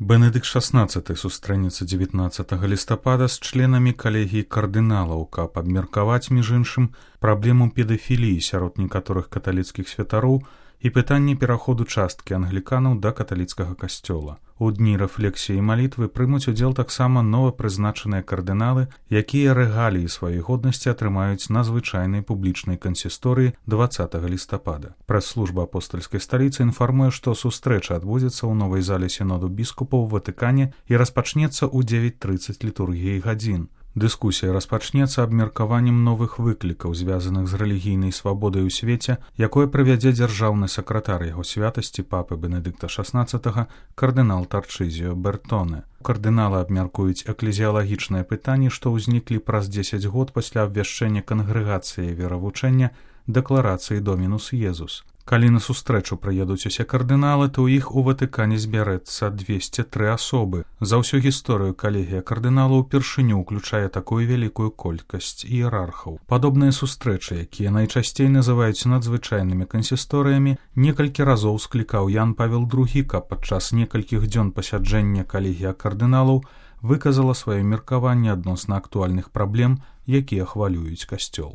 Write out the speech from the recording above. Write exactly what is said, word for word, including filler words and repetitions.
Бенедыкт шаснаццаты сустрэнецца дзевятнаццатага лістапада з членамі калегіі кардыналаў, каб абмеркаваць, між іншым, праблему педафіліі сярод некаторых каталіцкіх святароў і пытанне пераходу часткі англіканаў да каталіцкага касцёла. У дні рэфлексіі і малітвы прымуць удзел таксама новапрызначаныя кардыналы, якія рэгаліі сваёй годнасці атрымаюць на звычайнай публічнай кансісторыі дваццатага лістапада. Прэс-служба апостальскай сталіцы інфармуе, што сустрэча адбудзецца ў новай зале сіноду біскупаў у Ватыкане і распачнецца ў дзевяць трыццаць літургіяй гадзін. Дыскусія распачнецца абмеркаваннем новых выклікаў, звязаных з рэлігійнай свабодай у свеце, якое правядзе дзяржаўны сакратар яго святасці папы Бенедыкта шаснаццатага кардынал Тарчызіо Бертоне. Кардыналы абмяркуюць эклезіялагічныя пытанні, што ўзніклі праз дзесяць год пасля абвяшчэння кангрэгацыі веравучэння дэкларацыі Домінус Езус. Калі на сустрэчу прыедуць усе кардыналы, то ў іх у Ватыкане збярэцца двесце тры асобы. За ўсю гісторыю калегія кардыналаў упершыню ўключае такую вялікую колькасць іерархаў. Падобныя сустрэчы, якія найчасцей называюць надзвычайнымі кансісторыямі, некалькі разоў склікаў Ян Павел другі, каб падчас некалькіх дзён пасяджэння калегія кардыналаў выказала сваё меркаванне адносна актуальных праблем, якія хвалююць касцёл.